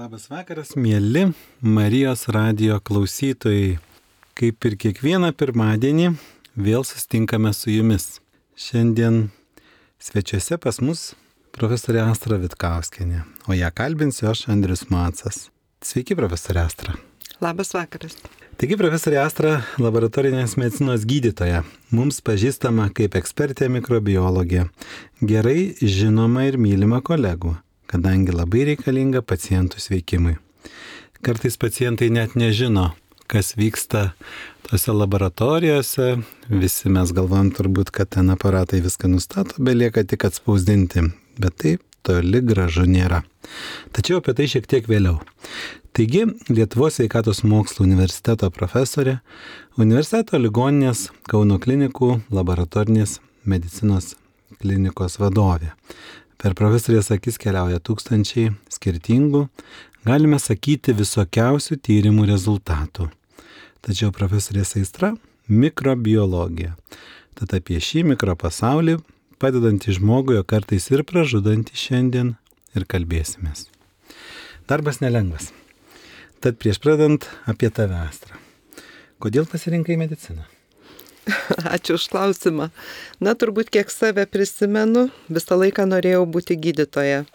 Labas vakaras, mėly Marijos radijo klausytojai. Kaip ir kiekvieną pirmadienį vėl susitinkame su jumis. Šiandien svečiuose pas mus profesorė Astra Vitkauskienė, o ją kalbinsiu aš, Andrius Macas. Sveiki, profesorė Astra. Labas vakaras. Taigi, profesorė Astra, laboratorinės medicinos gydytoja, mums pažįstama kaip ekspertė mikrobiologė, gerai žinoma ir mylima kolegų, kadangi labai reikalinga pacientų sveikimui. Kartais pacientai net nežino, kas vyksta tose laboratorijose, visi mes galvom turbūt, kad ten aparatai viską nustato, belieka tik atspausdinti, bet taip toli gražu nėra. Tačiau apie tai šiek tiek vėliau. Taigi, Lietuvos sveikatos mokslų universiteto profesorė, universiteto ligoninės Kauno klinikų laboratorinės medicinos klinikos vadovė. Per profesorės akis keliauja tūkstančiai skirtingų, galime sakyti, visokiausių tyrimų rezultatų. Tačiau profesorės aistra – mikrobiologija. Tad apie šį mikropasaulį, padedantį žmogui, o kartais ir pražudantį šiandien, ir kalbėsimės. Darbas nelengvas. Tad prieš pradant apie tave, Astra. Kodėl pasirinkai mediciną? Ačiū už klausimą. Turbūt kiek save prisimenu, visą laiką norėjau būti gydytoja.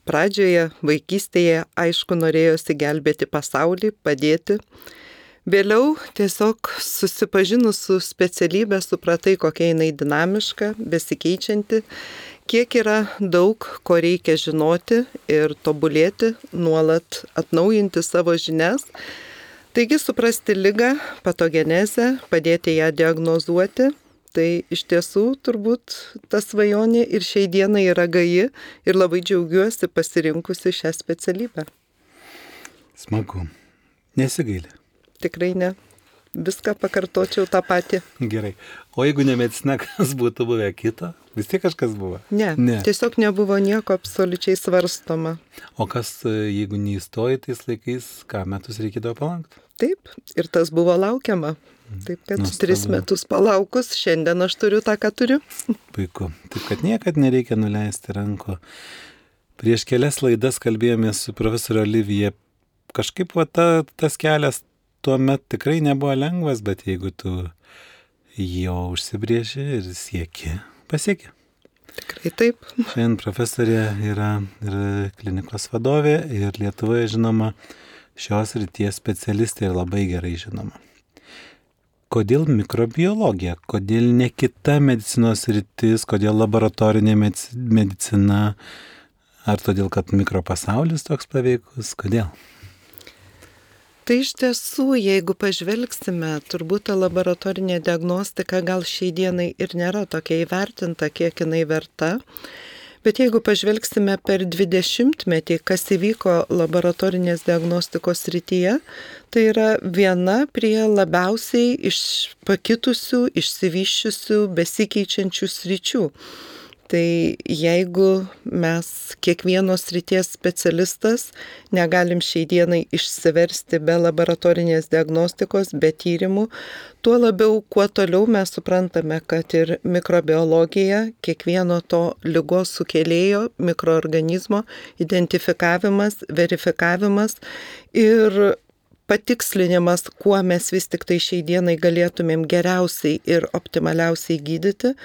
Pradžioje, vaikystėje, aišku, norėjosi gelbėti pasaulį, padėti. Vėliau tiesiog susipažinus su specialybė, supratai, kokia jinai dinamiška, besikeičianti, kiek yra daug, ko reikia žinoti ir tobulėti, nuolat atnaujinti savo žinias. Taigi suprasti ligą, patogenezę, padėti ją diagnozuoti, tai iš tiesų turbūt ta svajonė ir šiai dienai yra gaji ir labai džiaugiuosi pasirinkusi šią specialybę. Smagu. Nesigaili? Tikrai ne. Viską pakartočiau tą patį. Gerai. O jeigu ne medicina, kas būtų buvę kito? Vis tiek kažkas buvo? Ne. Tiesiog nebuvo nieko absoliučiai svarstoma. O kas, jeigu neįstoji tais laikais, ką metus reikėdavo palaukti? Taip, ir tas buvo laukiama. Taip, kad 3 metus palaukus, šiandien aš turiu tą, ką turiu. Puiku. Taip, kad niekad nereikia nuleisti rankų. Prieš kelias laidas kalbėjomės su profesorė Olivija. Kažkaip tas kelias tuomet tikrai nebuvo lengvas, bet jeigu tu jo užsibrėži ir sieki, pasieki. Tikrai taip. Šiandien profesorė yra klinikos vadovė ir Lietuvoje žinoma šios ryties specialistė ir labai gerai žinoma. Kodėl mikrobiologija? Kodėl ne kita medicinos rytis? Kodėl laboratorinė medicina? Ar todėl, kad mikropasaulis toks paveikus? Kodėl? Tai iš tiesų, jeigu pažvelgsime, turbūt ta laboratorinė diagnostika gal šiai dienai ir nėra tokia įvertinta, kiek jinai verta. Bet jeigu pažvelgsime per 20-metį, kas įvyko laboratorinės diagnostikos srityje, tai yra viena prie labiausiai pakitusių, išsivysčiusių, besikeičiančių sričių. Tai jeigu mes kiekvienos srities specialistas negalim šiai dienai išsiversti be laboratorinės diagnostikos, be tyrimų, tuo labiau, kuo toliau mes suprantame, kad ir mikrobiologija, kiekvieno to ligos sukėlėjo, mikroorganizmo identifikavimas, verifikavimas ir patikslinimas, kuo mes vis tik tai šiai dienai galėtumėm geriausiai ir optimaliausiai gydyti,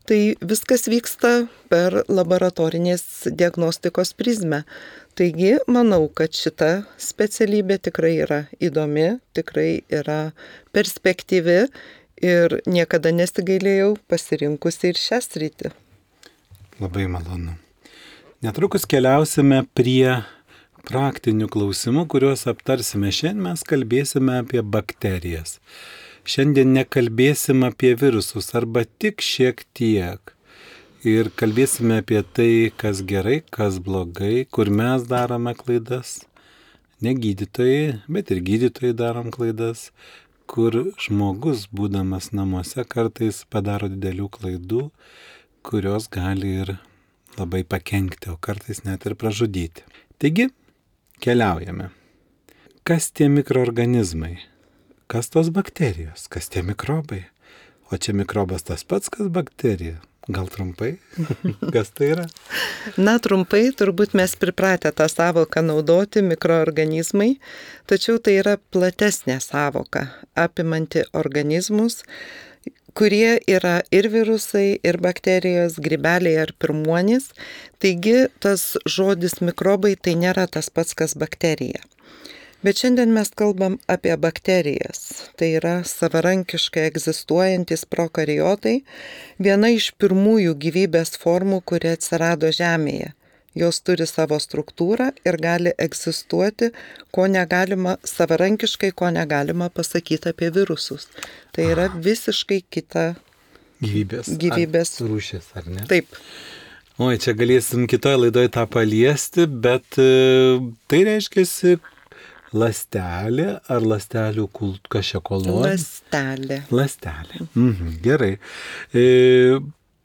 tai viskas vyksta per laboratorinės diagnostikos prizmę. Taigi, manau, kad šita specialybė tikrai yra įdomi, tikrai yra perspektyvi ir niekada nesigailėjau pasirinkusi ir šią sritį. Labai malonu. Netrukus keliausime prie praktinių klausimų, kuriuos aptarsime. Šiandien mes kalbėsime apie bakterijas. Šiandien nekalbėsime apie virusus arba tik šiek tiek. Ir kalbėsime apie tai, kas gerai, kas blogai, kur mes darome klaidas. Ne gydytojai, bet ir gydytojai darom klaidas, kur žmogus, būdamas namuose, kartais padaro didelių klaidų, kurios gali ir labai pakenkti, o kartais net ir pražudyti. Taigi, keliaujame. Kas tie mikroorganizmai? Kas tos bakterijos? Kas tie mikrobai? O čia mikrobas tas pats, kas bakterija? Gal trumpai? Kas tai yra? Na, trumpai, turbūt mes pripratę tą savoką naudoti mikroorganizmai, tačiau tai yra platesnė savoka, apimanti organizmus, kurie yra ir virusai, ir bakterijos, grybeliai ar pirmuonys. Taigi tas žodis mikrobai tai nėra tas pats, kas bakterija. Bet šiandien mes kalbam apie bakterijas. Tai yra savarankiškai egzistuojantis prokariotai, viena iš pirmųjų gyvybės formų, kuri atsirado Žemėje. Jos turi savo struktūrą ir gali egzistuoti, ko negalima savarankiškai, ko negalima pasakyti apie virusus. Tai yra visiškai kita gyvybės rūšis, ar ne? Taip. Oi, čia galėsim kitoje laidoje tą paliesti, bet tai reiškia ląstelė ar ląstelių kažkokia kolonija? Ląstelė. Gerai.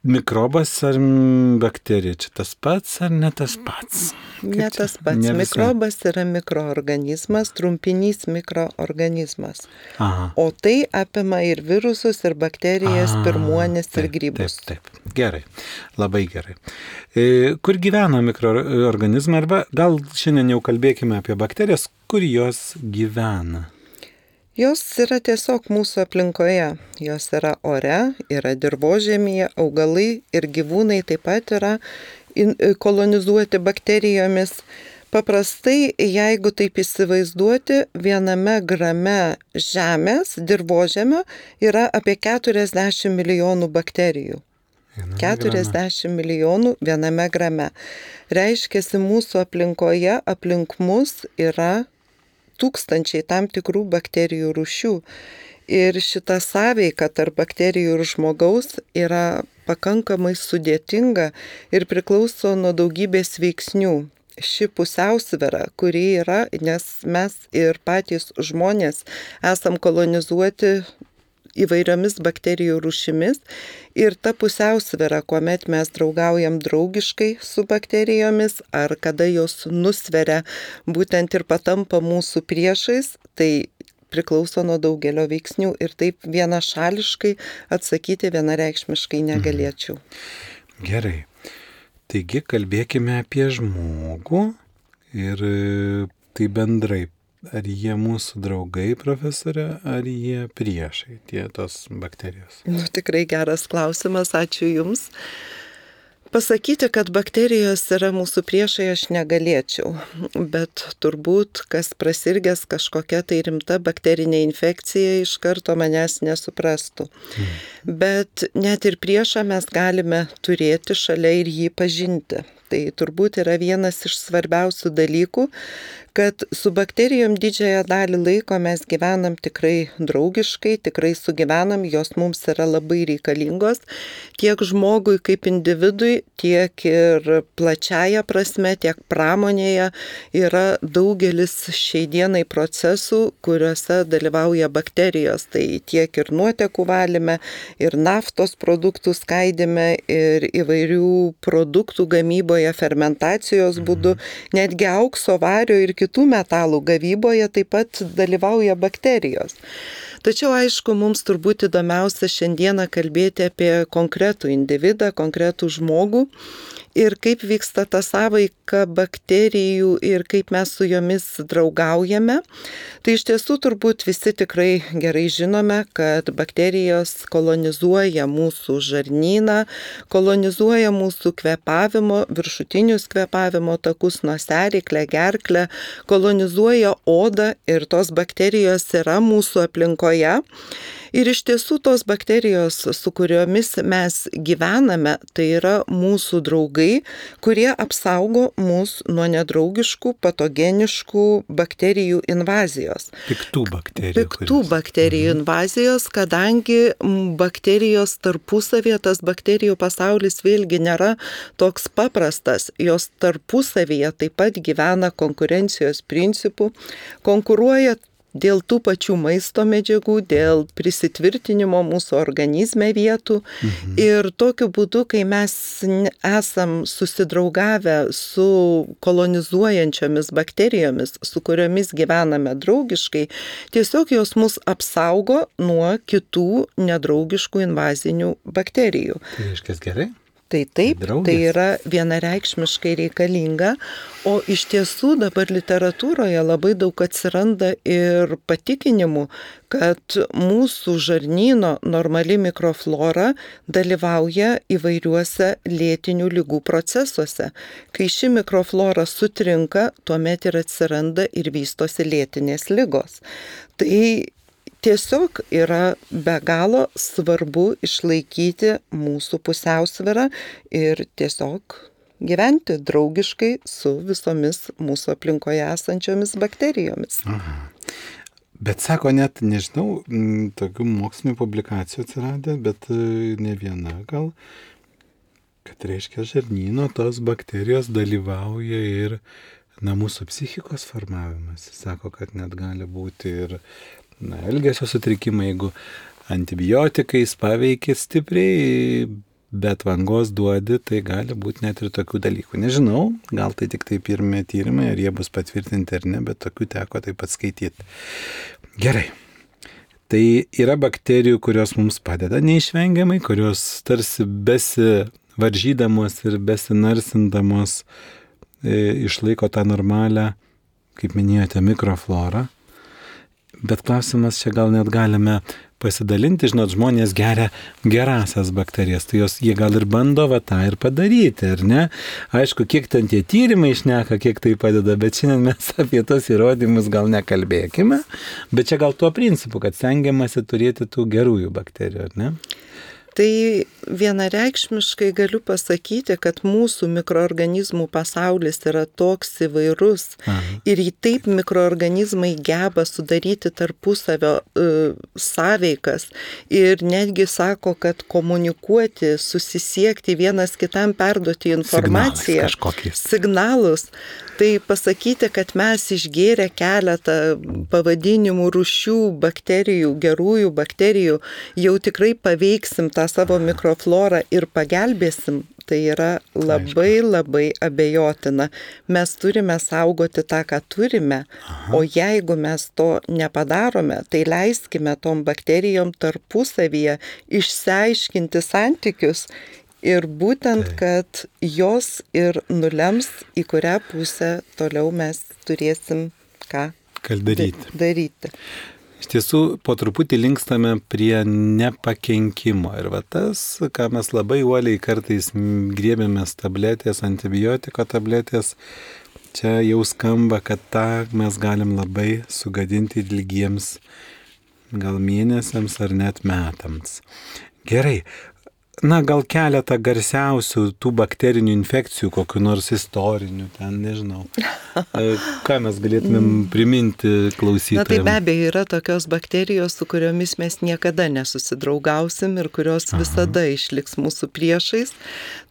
Mikrobas ar bakterija, čia tas pats ar ne tas pats? Ne tas pats. Mikrobas yra mikroorganizmas, trumpinys mikroorganizmas. Aha. O tai apima ir virusus, ir bakterijas, pirmuonis ir grybus. Taip. Gerai. Labai gerai. Kur gyvena mikroorganizmai? Arba gal šiandien jau kalbėkime apie bakterijas, kur jos gyvena? Jos yra tiesiog mūsų aplinkoje. Jos yra ore, yra dirvožemyje, augalai ir gyvūnai taip pat yra kolonizuoti bakterijomis. Paprastai, jeigu taip įsivaizduoti, 1 grame žemės, dirvožemio, yra apie 40 milijonų bakterijų. 40 milijonų 1 grame. Reiškiasi, mūsų aplinkoje, aplink mus yra tūkstančiai tam tikrų bakterijų rūšių. Ir šita sąveika tarp bakterijų ir žmogaus yra pakankamai sudėtinga ir priklauso nuo daugybės veiksnių. Ši pusiausvyra, kuri yra, nes mes ir patys žmonės esam kolonizuoti įvairiomis bakterijų rūšimis ir ta pusiausvyra, kuomet mes draugaujam draugiškai su bakterijomis ar kada jos nusveria būtent ir patampa mūsų priešais, tai priklauso nuo daugelio veiksnių ir taip vienašališkai atsakyti vienareikšmiškai negalėčiau. Gerai. Taigi kalbėkime apie žmogų ir tai bendrai. Ar jie mūsų draugai, profesorė, ar jie priešai, tos bakterijos? Tikrai geras klausimas, ačiū Jums. Pasakyti, kad bakterijos yra mūsų priešai, aš negalėčiau, bet turbūt, kas prasirgęs kažkokia tai rimta bakterinė infekcija, iš karto manęs nesuprastų. Bet net ir priešą mes galime turėti šalia ir jį pažinti. Tai turbūt yra vienas iš svarbiausių dalykų, kad su bakterijom didžiąją dalį laiko mes gyvenam tikrai draugiškai, tikrai sugyvenam, jos mums yra labai reikalingos, tiek žmogui kaip individui, tiek ir plačiaja prasme, tiek pramonėje yra daugelis šiai dienai procesų, kuriuose dalyvauja bakterijos. Tai tiek ir nuotekų valyme, ir naftos produktų skaidime, ir įvairių produktų gamyboje, fermentacijos būdu, netgi aukso, vario ir kitų metalų gavyboje taip pat dalyvauja bakterijos. Tačiau, aišku, mums turbūt įdomiausia šiandieną kalbėti apie konkretų individą, konkretų žmogų ir kaip vyksta ta sąveika bakterijų ir kaip mes su jomis draugaujame. Tai iš tiesų turbūt visi tikrai gerai žinome, kad bakterijos kolonizuoja mūsų žarnyną, kolonizuoja mūsų kvėpavimo, viršutinius kvėpavimo takus, nosiaryklę, gerklę, kolonizuoja odą ir tos bakterijos yra mūsų aplinkoje. Ir iš tiesų tos bakterijos, su kuriomis mes gyvename, tai yra mūsų draugai, kurie apsaugo mus nuo nedraugiškų, patogeniškų bakterijų invazijos. Piktų bakterijų. Piktų bakterijų invazijos, kadangi bakterijos tarpusavėje, tas bakterijų pasaulis vėlgi nėra toks paprastas. Jos tarpusavėje taip pat gyvena konkurencijos principų, konkuruoja dėl tų pačių maisto medžiagų, dėl prisitvirtinimo mūsų organizme vietų. Ir tokiu būdu, kai mes esam susidraugavę su kolonizuojančiomis bakterijomis, su kuriomis gyvename draugiškai, tiesiog jos mus apsaugo nuo kitų nedraugiškų invazinių bakterijų. Tai reiškia gerai? Tai taip, tai yra vienareikšmiškai reikalinga, o iš tiesų dabar literatūroje labai daug atsiranda ir patikinimų, kad mūsų žarnyno normali mikroflora dalyvauja įvairiuose lėtinių ligų procesuose. Kai ši mikroflora sutrinka, tuomet ir atsiranda ir vystosi lėtinės ligos. Tai tiesiog yra be galo svarbu išlaikyti mūsų pusiausvyrą ir tiesiog gyventi draugiškai su visomis mūsų aplinkoje esančiomis bakterijomis. Aha. Bet sako, net, nežinau, tokių mokslinių publikacijų atsiradė, bet ne viena gal, kad reiškia žarnyno tos bakterijos dalyvauja ir mūsų psichikos formavimas. Sako, kad net gali būti ir elgesio sutrikimai, jeigu antibiotikais paveikia stipriai, bet vangos duodi, tai gali būti net ir tokių dalykų. Nežinau, gal tai tik tai pirmie tyrimai, ar jie bus patvirtinti ar ne, bet tokių teko taip pat skaityti. Gerai. Tai yra bakterijų, kurios mums padeda neišvengiamai, kurios tarsi besivaržydamos ir besinarsindamos išlaiko tą normalią, kaip minėjote, mikroflorą. Bet klausimas, čia gal net galime pasidalinti, žinot, žmonės geria gerasias bakterijas, tai jie gal ir bando tą ir padaryti, ar ne? Aišku, kiek ten tie tyrimai šneka, kiek tai padeda, bet šiandien mes apie tos įrodymus gal nekalbėkime, bet čia gal tuo principu, kad stengiamasi turėti tų gerųjų bakterijų, ar ne? Tai vienareikšmiškai galiu pasakyti, kad mūsų mikroorganizmų pasaulis yra toks įvairus. Ir taip mikroorganizmai geba sudaryti tarpusavio sąveikas ir netgi sako, kad komunikuoti, susisiekti, vienas kitam perduoti informaciją, signalus. Tai pasakyti, kad mes išgėrę keletą pavadinimų rūšių bakterijų, gerųjų bakterijų, jau tikrai paveiksim tą savo mikroflorą ir pagelbėsim, tai yra labai abejotina. Mes turime saugoti tą, ką turime, o jeigu mes to nepadarome, tai leiskime tom bakterijom tarpusavyje išsiaiškinti santykius. Ir būtent, kad jos ir nulems, į kurią pusę toliau mes turėsim ką daryti. Iš tiesų, po truputį linkstame prie nepakenkimo. Ir tas, ką mes labai uoliai kartais griebėmės tabletės, antibiotiko tabletės, čia jau skamba, kad tą mes galim labai sugadinti ilgiems gal mėnesiams ar net metams. Gerai. Gal keletą garsiausių tų bakterinių infekcijų, kokių nors istorinių, ten nežinau. Ką mes galėtumėm priminti klausytojams? Tai be abejo yra tokios bakterijos, su kuriomis mes niekada nesusidraugausim ir kurios visada išliks mūsų priešais.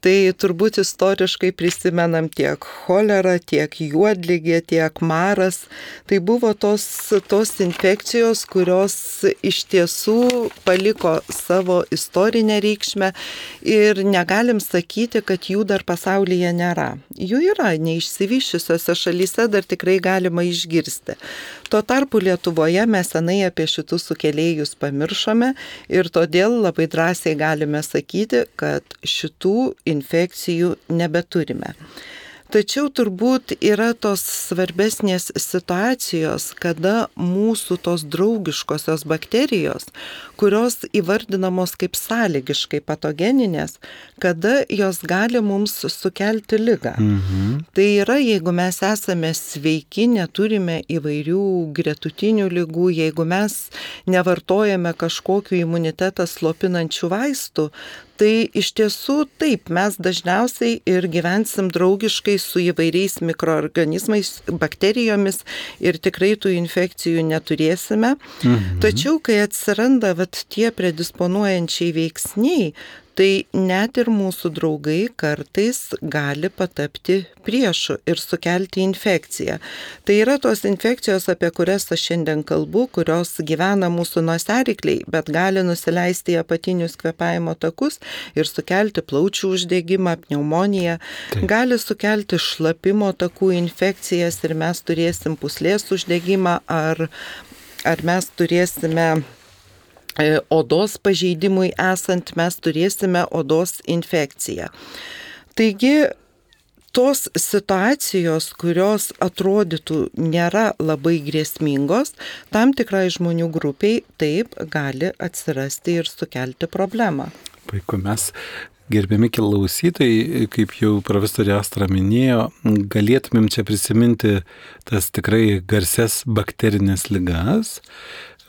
Tai turbūt istoriškai prisimenam tiek cholerą, tiek juodligę, tiek maras. Tai buvo tos infekcijos, kurios iš tiesų paliko savo istorinę reikšmę. Ir negalim sakyti, kad jų dar pasaulyje nėra. Jų yra, neišsivyščiusiose šalyse dar tikrai galima išgirsti. Tuo tarpu Lietuvoje mes senai apie šitus sukėlėjus pamiršome ir todėl labai drąsiai galime sakyti, kad šitų infekcijų nebeturime. Tačiau turbūt yra tos svarbesnės situacijos, kada mūsų tos draugiškosios bakterijos, kurios įvardinamos kaip sąlygiškai patogeninės, kada jos gali mums sukelti ligą. Tai yra, jeigu mes esame sveiki, neturime įvairių gretutinių ligų, jeigu mes nevartojame kažkokių imunitetą slopinančių vaistų, tai iš tiesų taip, mes dažniausiai ir gyvensim draugiškai su įvairiais mikroorganizmais, bakterijomis ir tikrai tų infekcijų neturėsime. Tačiau, kai atsiranda tie predisponuojančiai veiksniai, tai net ir mūsų draugai kartais gali patapti priešu ir sukelti infekciją. Tai yra tos infekcijos, apie kurias aš šiandien kalbu, kurios gyvena mūsų nosiaryklėj, bet gali nusileisti į apatinius kvėpavimo takus ir sukelti plaučių uždegimą, pneumoniją, gali sukelti šlapimo takų infekcijas ir mes turėsim pūslės uždegimą ar mes turėsime odos pažeidimui esant, mes turėsime odos infekciją. Taigi, tos situacijos, kurios atrodytų nėra labai grėsmingos, tam tikrai žmonių grupiai taip gali atsirasti ir sukelti problemą. Puiku, mes, gerbiami klausytojai, kaip jau profesorė Astra minėjo, galėtumėm čia prisiminti tas tikrai garsias bakterinės ligas,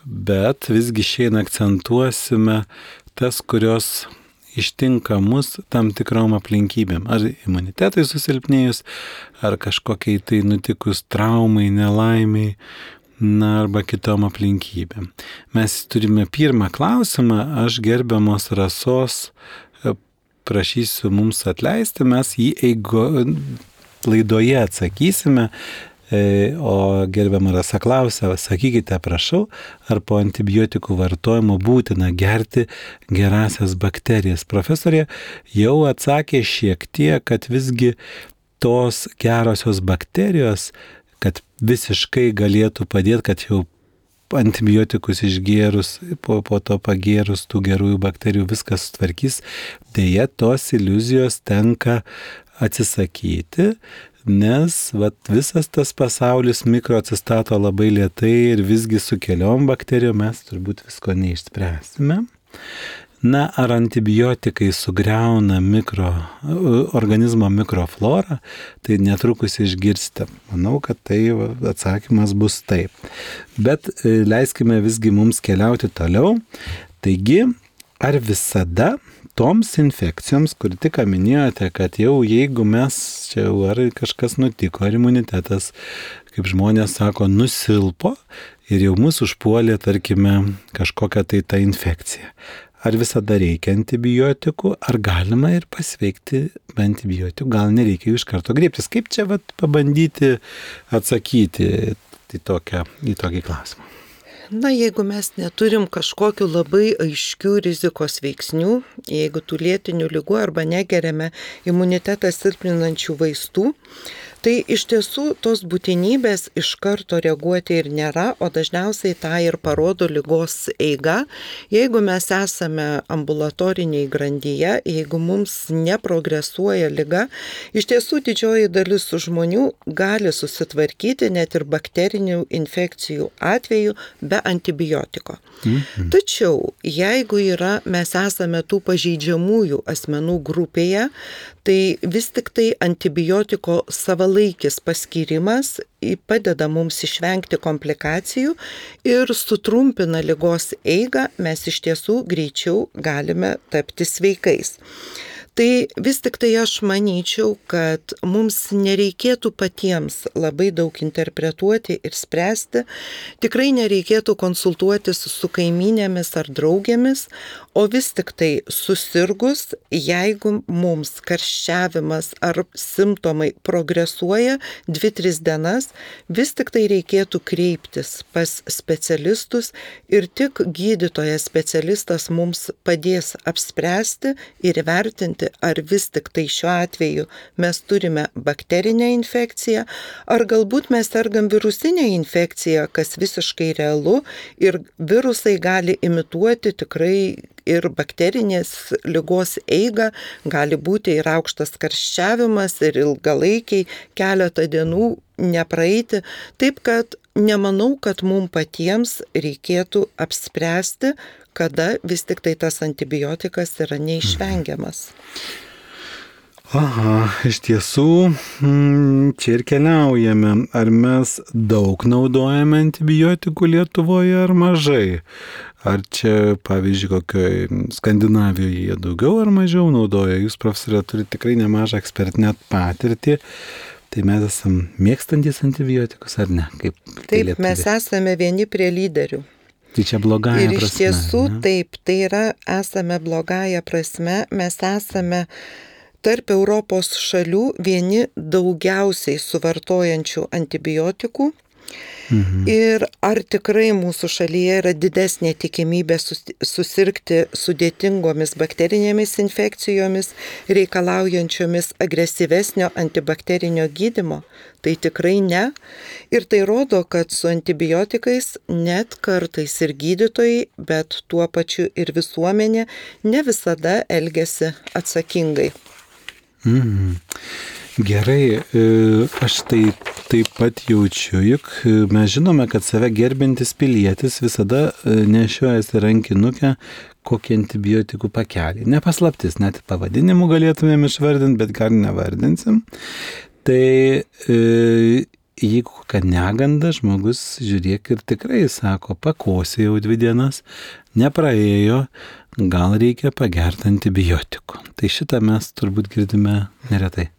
bet visgi šiandien akcentuosime tas, kurios ištinka mus tam tikrom aplinkybėm. Ar imunitetui susilpnėjus, ar kažkokiai tai nutikus traumai, nelaimiai, arba kitom aplinkybėm. Mes turime pirmą klausimą, aš gerbiamos Rasos prašysiu mums atleisti, mes jį laidoje atsakysime. O gerbiama Rasa klausia, sakykite, prašau, ar po antibiotikų vartojimo būtina gerti gerasias bakterijas? Profesorė jau atsakė šiek tiek, kad visgi tos gerosios bakterijos, kad visiškai galėtų padėti, kad jau antibiotikus išgėrus, po to pagėrus tų gerųjų bakterijų viskas sutvarkys, deja tos iliuzijos tenka atsisakyti, nes visas tas pasaulis mikro atsistato labai lėtai ir visgi su keliom bakterijom mes turbūt visko neišspręsime. Ar antibiotikai sugriauna organizmo mikroflorą, tai netrukus išgirsite. Manau, kad tai atsakymas bus taip. Bet leiskime visgi mums keliauti toliau. Taigi, ar visada toms infekcijoms, kur tik minėjote, kad jau jeigu mes čia ar kažkas nutiko, ar imunitetas, kaip žmonės sako, nusilpo ir jau mūsų užpuolė, tarkime, kažkokia tai ta infekcija. Ar visada reikia antibiotikų, ar galima ir pasveikti be antibiotikų, gal nereikia jų iš karto griebtis. Kaip čia pabandyti atsakyti į tokį klausimą? Jeigu mes neturim kažkokių labai aiškių rizikos veiksnių, jeigu tų lėtinių ligų arba negeriame imunitetą silpninančių vaistų, tai iš tiesų tos būtinybės iš karto reaguoti ir nėra, o dažniausiai tą ir parodo ligos eiga. Jeigu mes esame ambulatoriniai grandyje, jeigu mums neprogresuoja liga, iš tiesų didžioji dalis žmonių gali susitvarkyti net ir bakterinių infekcijų atveju be antibiotiko. Tačiau, jeigu mes esame tų pažeidžiamųjų asmenų grupėje, tai vis tik tai antibiotiko savalaikis paskyrimas padeda mums išvengti komplikacijų ir sutrumpina ligos eigą, mes iš tiesų greičiau galime tapti sveikais. Tai vis tik tai aš manyčiau, kad mums nereikėtų patiems labai daug interpretuoti ir spręsti, tikrai nereikėtų konsultuotis su kaimynėmis ar draugėmis, o vis tik tai susirgus, jeigu mums karščiavimas ar simptomai progresuoja 2-3 dienas, vis tik tai reikėtų kreiptis pas specialistus ir tik gydytojas specialistas mums padės apspręsti ir įvertinti, ar vis tik tai šiuo atveju mes turime bakterinę infekciją, ar galbūt mes sergam virusinę infekciją, kas visiškai realu ir virusai gali imituoti tikrai ir bakterinės ligos eigą, gali būti ir aukštas karščiavimas ir ilgalaikiai keletą dienų nepraeiti. Taip kad nemanau, kad mums patiems reikėtų apspręsti, kada vis tik tai tas antibiotikas yra neišvengiamas. Aha, iš tiesų, čia ir keliaujame. Ar mes daug naudojame antibiotikų Lietuvoje ar mažai? Ar čia, pavyzdžiui, kokioje Skandinavijoje jie daugiau ar mažiau naudoja? Jūs, profesorė, turite tikrai nemažą ekspertinę patirtį. Tai mes esame mėgstantis antibiotikus ar ne? Taip, mes esame vieni prie lyderių. Tai čia blogąja prasme. Ir iš tiesų taip, tai yra, esame blogąja prasme, mes esame tarp Europos šalių vieni daugiausiai suvartojančių antibiotikų. Ir ar tikrai mūsų šalyje yra didesnė tikimybė susirgti sudėtingomis bakterinėmis infekcijomis, reikalaujančiomis agresyvesnio antibakterinio gydymo? Tai tikrai ne. Ir tai rodo, kad su antibiotikais net kartais ir gydytojai, bet tuo pačiu ir visuomenė ne visada elgiasi atsakingai. Gerai, aš tai taip pat jaučiu, juk mes žinome, kad save gerbintis pilietis visada nešiojasi rankinukę kokį antibiotikų pakelį. Nepaslaptis, net pavadinimų galėtumėm išvardinti, bet gal nevardinsim. Tai jeigu kad neganda, žmogus žiūrėk ir tikrai sako, pakosė jau 2 dienas, nepraėjo, gal reikia pagerti antibiotikų. Tai šitą mes turbūt girdime neretai.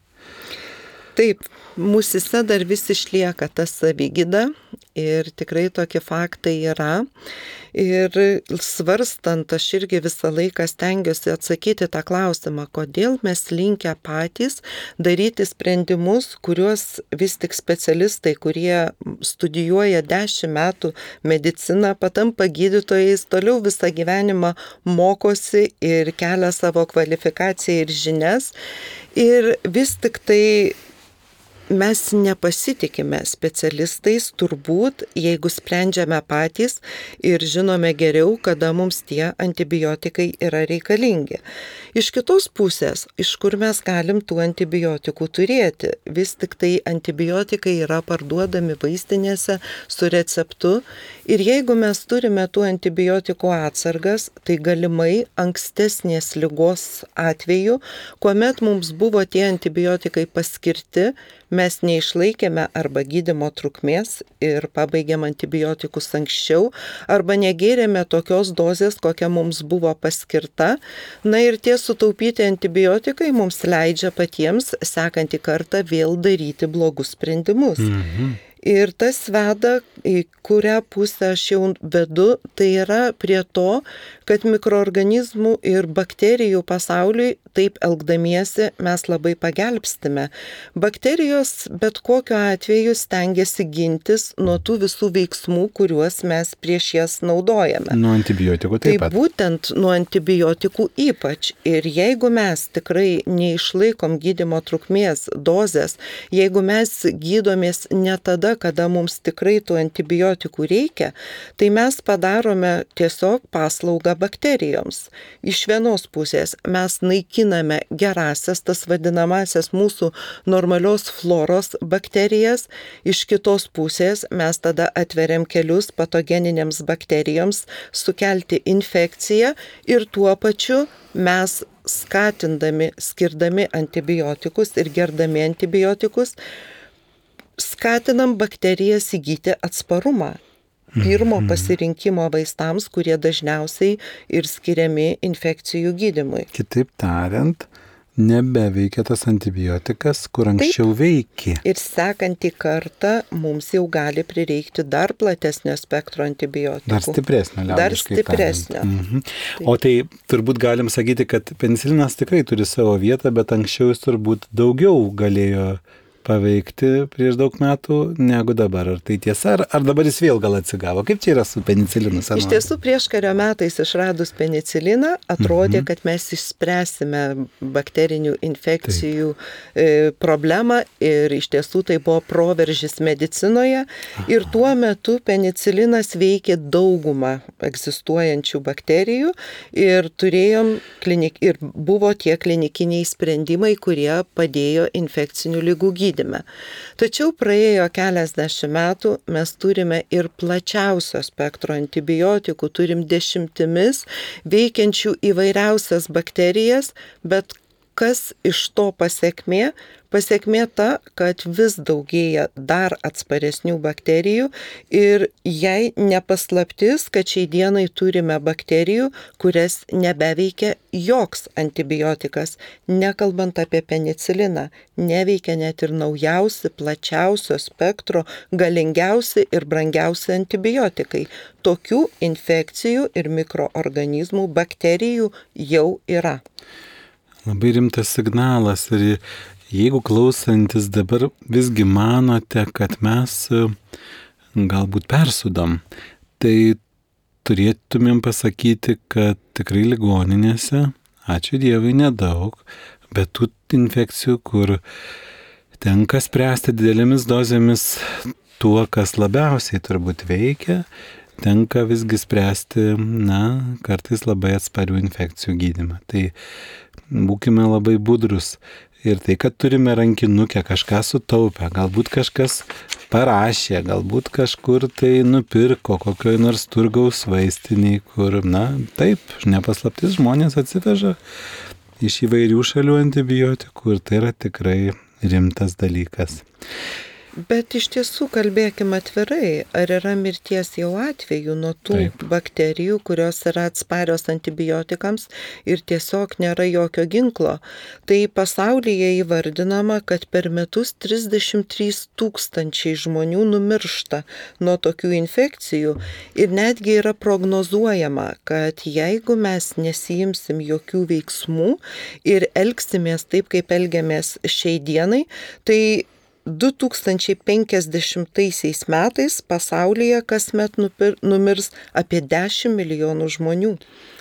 Taip, mūsise dar vis išlieka ta savigyda ir tikrai tokie faktai yra. Ir svarstant, aš irgi visą laiką stengiuosi atsakyti tą klausimą, kodėl mes linkę patys daryti sprendimus, kuriuos vis tik specialistai, kurie studijuoja 10 metų mediciną, patampa gydytojais, toliau visą gyvenimą mokosi ir kelia savo kvalifikaciją ir žinias. Ir vis tik tai mes nepasitikime specialistais turbūt, jeigu sprendžiame patys ir žinome geriau, kada mums tie antibiotikai yra reikalingi. Iš kitos pusės, iš kur mes galim tų antibiotikų turėti? Vis tik tai antibiotikai yra parduodami vaistinėse su receptu ir jeigu mes turime tų antibiotikų atsargas, tai galimai ankstesnės ligos atveju, kuomet mums buvo tie antibiotikai paskirti, mes neišlaikėme arba gydymo trukmės ir pabaigėm antibiotikus anksčiau, arba negėrėme tokios dozės, kokia mums buvo paskirta. Na ir tie sutaupyti antibiotikai mums leidžia patiems sekantį kartą vėl daryti blogus sprendimus. Ir tas veda, į kurią pusę aš jau vedu, tai yra prie to, kad mikroorganizmų ir bakterijų pasauliui taip elgdamiesi mes labai pagelbstime. Bakterijos bet kokiu atveju stengiasi gintis nuo tų visų veiksmų, kuriuos mes prieš jas naudojame. Nuo antibiotikų taip pat. Tai būtent nuo antibiotikų ypač. Ir jeigu mes tikrai neišlaikom gydymo trukmės dozės, jeigu mes gydomės ne tada, kada mums tikrai tų antibiotikų reikia, tai mes padarome tiesiog paslaugą bakterijoms. Iš vienos pusės mes naikiname gerasias, tas vadinamasias mūsų normalios floros bakterijas, iš kitos pusės mes tada atveriam kelius patogeninėms bakterijoms sukelti infekciją ir tuo pačiu mes skatindami, skirdami antibiotikus ir gerdami antibiotikus, skatinam bakterijas įgyti atsparumą. Pirmo pasirinkimo vaistams, kurie dažniausiai ir skiriami infekcijų gydymui. Kitaip tariant, nebeveikia tas antibiotikas, kur anksčiau veikė. Ir sekantį kartą mums jau gali prireikti dar platesnio spektro antibiotikų. Dar stipresnio, liaudiškai Dar stipresnio. O tai turbūt galim sakyti, kad penicilinas tikrai turi savo vietą, bet anksčiau jis turbūt daugiau galėjo paveikti prieš daug metų negu dabar. Ar tai tiesa, ar dabar jis vėl gal atsigavo? Kaip čia yra su penicilinu? Iš tiesų, prieškario metais išradus peniciliną, atrodė, kad mes išspręsime bakterinių infekcijų problemą ir iš tiesų tai buvo proveržis medicinoje. Ir tuo metu penicilinas veikė daugumą egzistuojančių bakterijų ir ir buvo tie klinikiniai sprendimai, kurie padėjo infekcinių ligų gydymui. Tačiau praėjo keliasdešimt metų, mes turime ir plačiausio spektro antibiotikų, turim 10 veikiančių įvairiausias bakterijas, bet kas iš to pasekmė? Pasekmė ta, kad vis daugėja dar atsparesnių bakterijų ir jai nepaslaptis, kad šiai dienai turime bakterijų, kurias nebeveikia joks antibiotikas, nekalbant apie peniciliną, neveikia net ir naujausi, plačiausio spektro, galingiausi ir brangiausi antibiotikai. Tokių infekcijų ir mikroorganizmų, bakterijų jau yra. Labai rimtas signalas ir jeigu klausantis dabar visgi manote, kad mes galbūt persudam, tai turėtumėm pasakyti, kad tikrai ligoninėse, ačiū Dievui, nedaug, bet tų infekcijų, kur tenka spręsti didelėmis dozėmis tuo, kas labiausiai turbūt veikia, tenka visgi spręsti, kartais labai atsparių infekcijų gydymą. Tai būkime labai budrus. Ir tai, kad turime rankinukę, kažką sutaupę, galbūt kažkas parašė, galbūt kažkur tai nupirko kokioj nors turgaus vaistiniai, kur, taip, nepaslaptis, žmonės atsiveža iš įvairių šalių antibiotikų ir tai yra tikrai rimtas dalykas. Bet iš tiesų kalbėkime atvirai, ar yra mirties jau atvejų nuo tų bakterijų, kurios yra atsparios antibiotikams ir tiesiog nėra jokio ginklo. Tai pasaulyje įvardinama, kad per metus 33 000 žmonių numiršta nuo tokių infekcijų ir netgi yra prognozuojama, kad jeigu mes nesijimsim jokių veiksmų ir elgsimės taip, kaip elgiamės šiai dienai, tai 2050 metais pasaulyje kasmet numirs apie 10 milijonų žmonių.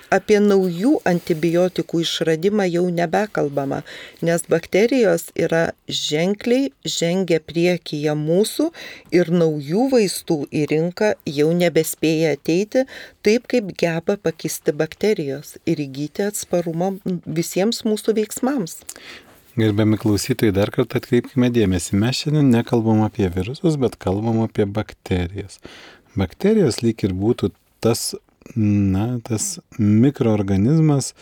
Apie naujų antibiotikų išradimą jau nebekalbama, nes bakterijos yra ženkliai žengia priekyje mūsų ir naujų vaistų į rinką jau nebespėja ateiti taip, kaip geba pakisti bakterijos ir įgyti atsparumą visiems mūsų veiksmams. Gerbiami klausytojai, dar kartą atkreipkime dėmesį. Mes šiandien nekalbam apie virusus, bet kalbam apie bakterijas. Bakterijos lyg ir būtų tas mikroorganizmas,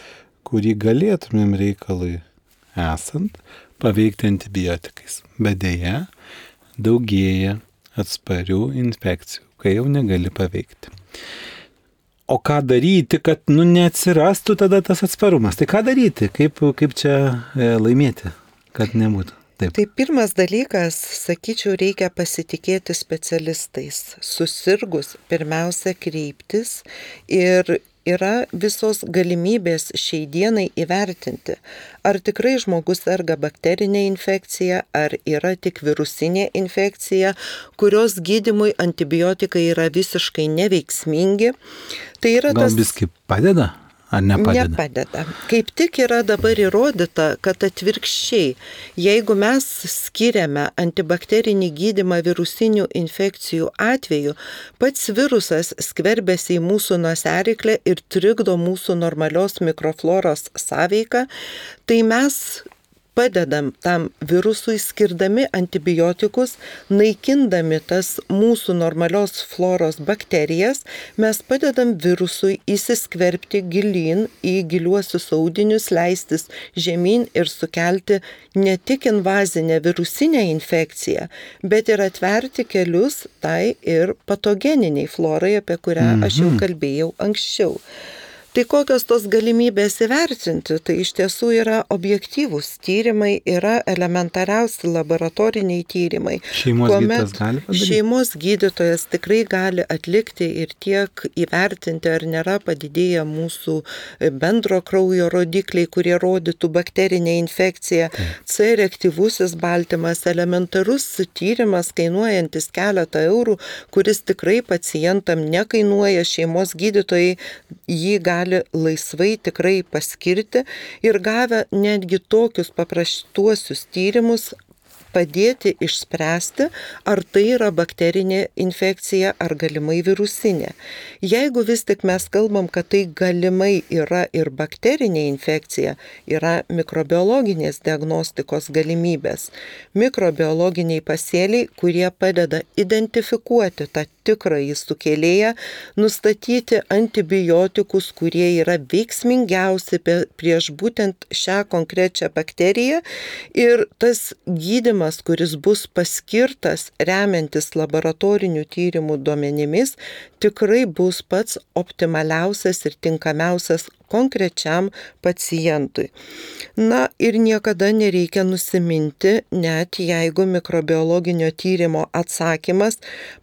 kurį galėtumėm reikalui esant paveikti antibiotikais. Bet deja, daugėja atsparių infekcijų, kai jau negali paveikti. O ką daryti, kad neatsirastų tada tas atsparumas? Tai ką daryti? Kaip čia laimėti, kad nebūtų? Taip. Tai pirmas dalykas, sakyčiau, reikia pasitikėti specialistais. Susirgus pirmiausia kreiptis ir yra visos galimybės šiai dienai įvertinti, ar tikrai žmogus serga bakterinė infekcija, ar yra tik virusinė infekcija, kurios gydymui antibiotikai yra visiškai neveiksmingi. Tai yra Gal biskį padeda? Ar nepadeda? Nepadeda. Kaip tik yra dabar įrodyta, kad atvirkščiai, jeigu mes skiriame antibakterinį gydymą virusinių infekcijų atveju, pats virusas skverbiasi į mūsų nosiaryklę ir trikdo mūsų normalios mikrofloros sąveiką, tai mes padedam tam virusui skirdami antibiotikus, naikindami tas mūsų normalios floros bakterijas, mes padedam virusui įsiskverbti gilyn į giliuosius audinius, leistis žemyn ir sukelti ne tik invazinę virusinę infekciją, bet ir atverti kelius tai ir patogeniniai florai, apie kurią aš jau kalbėjau anksčiau. Tai kokios tos galimybės įvertinti? Tai iš tiesų yra objektyvūs tyrimai, yra elementariausi laboratoriniai tyrimai. Šeimos gydytojas tikrai gali atlikti ir tiek įvertinti, ar nėra padidėję mūsų bendro kraujo rodikliai, kurie rodytų bakterinę infekciją. C reaktyvusis baltymas, elementarus tyrimas kainuojantis keletą eurų, kuris tikrai pacientam nekainuoja, šeimos gydytojai jį gali laisvai tikrai paskirti ir gavę netgi tokius paprastuosius tyrimus padėti išspręsti, ar tai yra bakterinė infekcija ar galimai virusinė. Jeigu vis tik mes kalbam, kad tai galimai yra ir bakterinė infekcija, yra mikrobiologinės diagnostikos galimybės. Mikrobiologiniai pasėliai, kurie padeda identifikuoti tą tikrąjį sukėlėją, nustatyti antibiotikus, kurie yra veiksmingiausi prieš būtent šią konkrečią bakteriją ir tas gydymas, kuris bus paskirtas remiantis laboratorinių tyrimų duomenimis, tikrai bus pats optimaliausias ir tinkamiausias konkrečiam pacientui. Na ir niekada nereikia nusiminti, net jeigu mikrobiologinio tyrimo atsakymas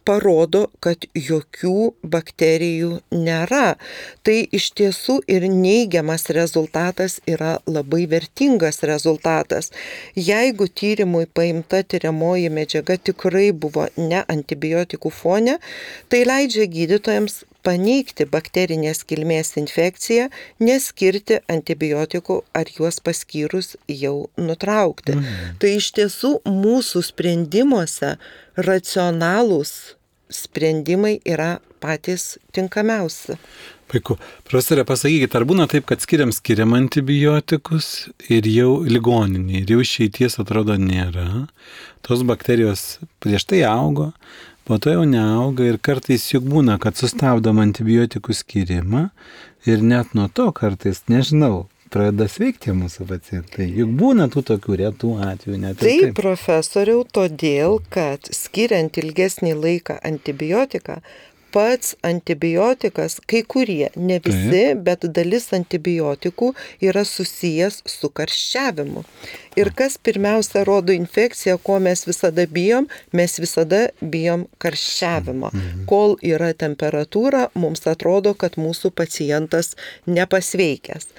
parodo, kad jokių bakterijų nėra. Tai iš tiesų ir neigiamas rezultatas yra labai vertingas rezultatas. Jeigu tyrimui paimta tyriamoji medžiaga tikrai buvo ne antibiotikų fone, tai leidžia gydytojams paneigti bakterinės kilmės infekciją, neskirti antibiotikų ar juos paskyrus jau nutraukti. Tai iš tiesų mūsų sprendimuose racionalūs sprendimai yra patys tinkamiausi. Puiku. Profesorė, pasakykite, ar būna taip, kad skiriam antibiotikus ir jau ligoninėje, ir jau išeities atrodo nėra, tos bakterijos prieš tai augo, po to jau neauga ir kartais juk būna, kad sustabdom antibiotikų skirimą ir net nuo to kartais, nežinau, pradeda sveikti mūsų pacientai. Juk būna tų tokių retų atvejų net. Taip, profesoriau, todėl, kad skiriant ilgesnį laiką antibiotiką, pats antibiotikas, kai kurie, ne visi, bet dalis antibiotikų yra susijęs su karščiavimu. Ir kas pirmiausia rodo infekciją, ko mes visada bijom karščiavimo. Kol yra temperatūra, mums atrodo, kad mūsų pacientas nepasveikęs.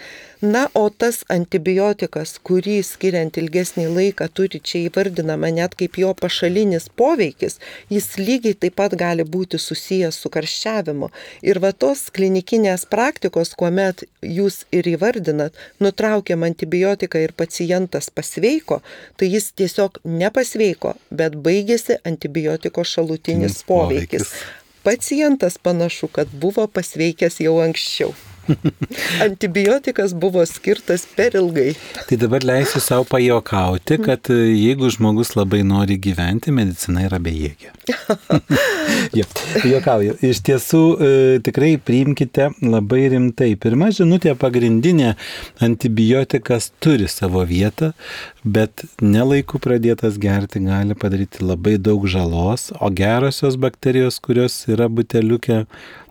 Na, o tas antibiotikas, kurį skiriant ilgesnį laiką turi čia įvardinama net kaip jo pašalinis poveikis, jis lygiai taip pat gali būti susijęs su karščiavimu. Ir va tos klinikinės praktikos, kuomet jūs ir įvardinat, nutraukiam antibiotiką ir pacientas pasveiko, tai jis tiesiog nepasveiko, bet baigėsi antibiotiko šalutinis poveikis. Pacientas panašu, kad buvo pasveikęs jau anksčiau. Antibiotikas buvo skirtas per ilgai. Tai dabar leisiu savo pajuokauti, kad jeigu žmogus labai nori gyventi, medicina yra bejėgė. Juokauju. Iš tiesų, tikrai priimkite labai rimtai. Pirma žinutė pagrindinė, antibiotikas turi savo vietą, bet nelaiku pradėtas gerti gali padaryti labai daug žalos, o gerosios bakterijos, kurios yra buteliuke,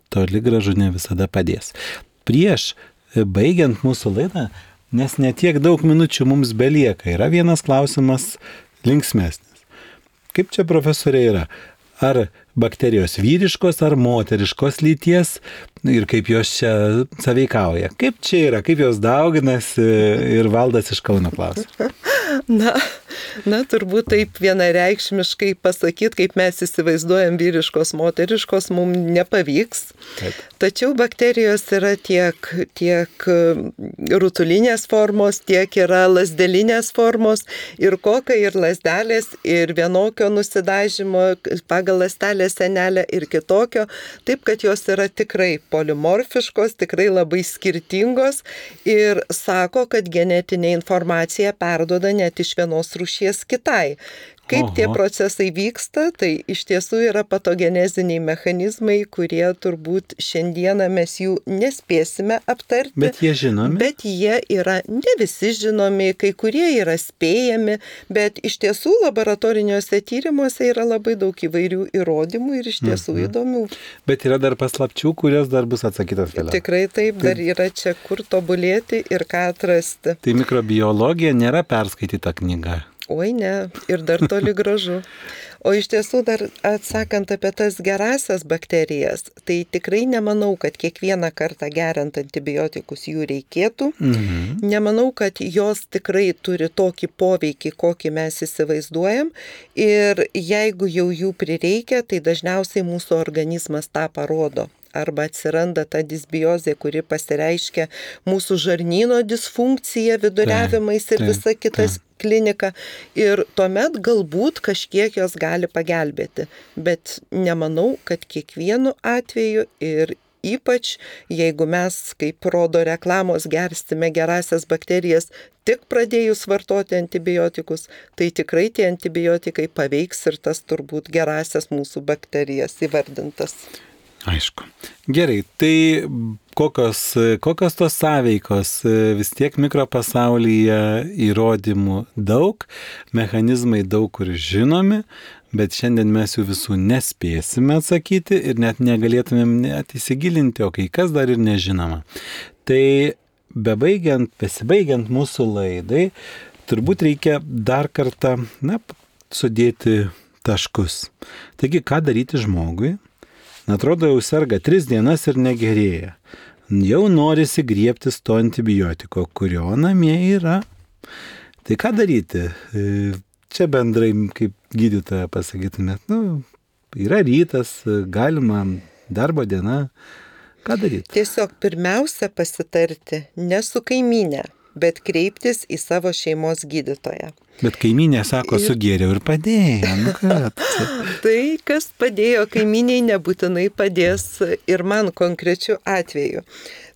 toli gražu ne visada padės. Prieš baigiant mūsų laidą, nes netiek daug minučių mums belieka, yra vienas klausimas linksmesnis. Kaip čia, profesorė, yra? Ar bakterijos vyriškos ar moteriškos lyties ir kaip jos čia sąveikauja? Kaip čia yra? Kaip jos dauginasi? Ir Valdas iš Kauno klausia. Na, turbūt taip vienareikšmiškai pasakyti, kaip mes įsivaizduojam vyriškos, moteriškos, mums nepavyks. Taip. Tačiau bakterijos yra tiek rutulinės formos, tiek yra lazdelinės formos ir kokai, ir lazdelės, ir vienokio nusidažymo pagal ląstelės sienelę ir kitokio. Taip, kad jos yra tikrai polimorfiškos, tikrai labai skirtingos ir sako, kad genetinė informacija perduoda net iš vienos rūšies kitai. Kaip tie procesai vyksta, tai iš tiesų yra patogeneziniai mechanizmai, kurie turbūt šiandieną mes jų nespėsime aptarti. Bet jie žinomi? Bet jie yra ne visi žinomi, kai kurie yra spėjami, bet iš tiesų laboratoriniuose tyrimuose yra labai daug įvairių įrodymų ir iš tiesų įdomių. Bet yra dar paslapčių, kurios dar bus atsakytos vėliau. Tikrai taip, dar yra čia kur tobulėti ir ką atrasti. Tai mikrobiologija nėra perskaityta knyga. Oi ne, ir dar toli gražu. O iš tiesų dar atsakant apie tas gerasias bakterijas, tai tikrai nemanau, kad kiekvieną kartą geriant antibiotikus jų reikėtų. Nemanau, kad jos tikrai turi tokį poveikį, kokį mes įsivaizduojam. Ir jeigu jau jų prireikia, tai dažniausiai mūsų organizmas tą parodo. Arba atsiranda ta disbiozė, kuri pasireiškia mūsų žarnyno disfunkcija, viduriavimais ir visa kitas klinika. Ir tuomet galbūt kažkiek jos gali pagelbėti. Bet nemanau, kad kiekvienu atveju ir ypač jeigu mes, kaip rodo reklamos, gersime gerasias bakterijas tik pradėjus vartoti antibiotikus, tai tikrai tie antibiotikai paveiks ir tas turbūt gerasias mūsų bakterijas įvardintas. Aišku. Gerai, tai kokios tos sąveikos, vis tiek mikropasaulyje įrodymų daug, mechanizmai daug kur žinomi, bet šiandien mes jų visų nespėsime atsakyti ir net negalėtumėm net įsigilinti, o kai kas dar ir nežinoma. Tai besibaigiant mūsų laidai, turbūt reikia dar kartą, sudėti taškus. Taigi, ką daryti žmogui? Atrodo, jau serga 3 dienas ir negerėja. Jau norisi griebtis to antibiotiko, kurio namie yra. Tai ką daryti? Čia bendrai, kaip gydytoja pasakytumėt, yra rytas, galima darbo diena. Ką daryti? Tiesiog pirmiausia pasitarti ne su kaimynė, bet kreiptis į savo šeimos gydytoją. Bet kaimynė sako, sugėriau ir padėjo. Tai, kas padėjo kaimyniai, nebūtinai padės ir man konkrečiu atveju.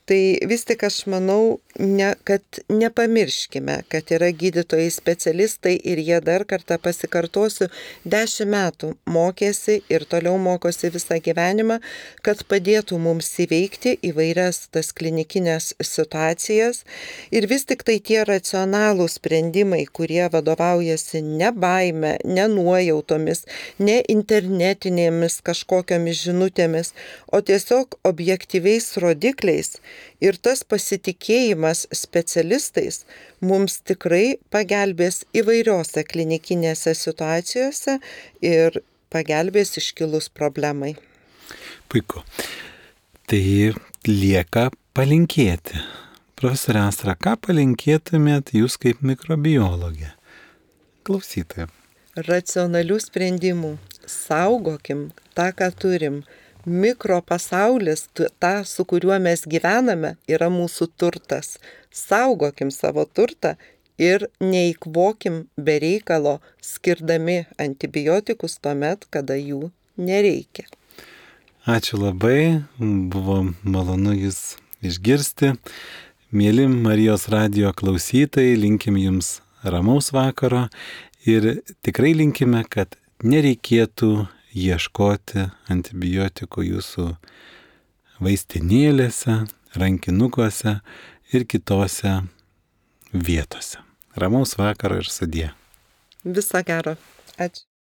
Tai vis tik aš manau, kad nepamirškime, kad yra gydytojai specialistai ir jie dar kartą pasikartosiu, 10 metų mokėsi ir toliau mokosi visą gyvenimą, kad padėtų mums įveikti įvairias tas klinikinės situacijas ir vis tik tai tie racionalūs sprendimai, kurie vadovaujasi ne baime, ne nuojautomis, ne internetinėmis kažkokiamis žinutėmis, o tiesiog objektyviais rodikliais. Ir tas pasitikėjimas specialistais mums tikrai pagelbės įvairiose klinikinėse situacijose ir pagelbės iškilus problemai. Puiku. Tai lieka palinkėti. Profesorė Astra, ką palinkėtumėt jūs kaip mikrobiologė? Klausytojai. Racionalių sprendimų. Saugokim tą, ką turim. Mikropasaulis, tą, su kuriuo mes gyvename, yra mūsų turtas. Saugokim savo turtą ir neįkvokim be reikalo, skirdami antibiotikus tuomet, kada jų nereikia. Ačiū labai, buvo malonu jūs išgirsti. Mėly Marijos radijo klausytojai, linkim jums ramaus vakaro ir tikrai linkime, kad nereikėtų ieškoti antibiotikų jūsų vaistinėlėse, rankinukuose ir kitose vietose. Ramaus vakaro ir sudie. Viso gero. Ačiū.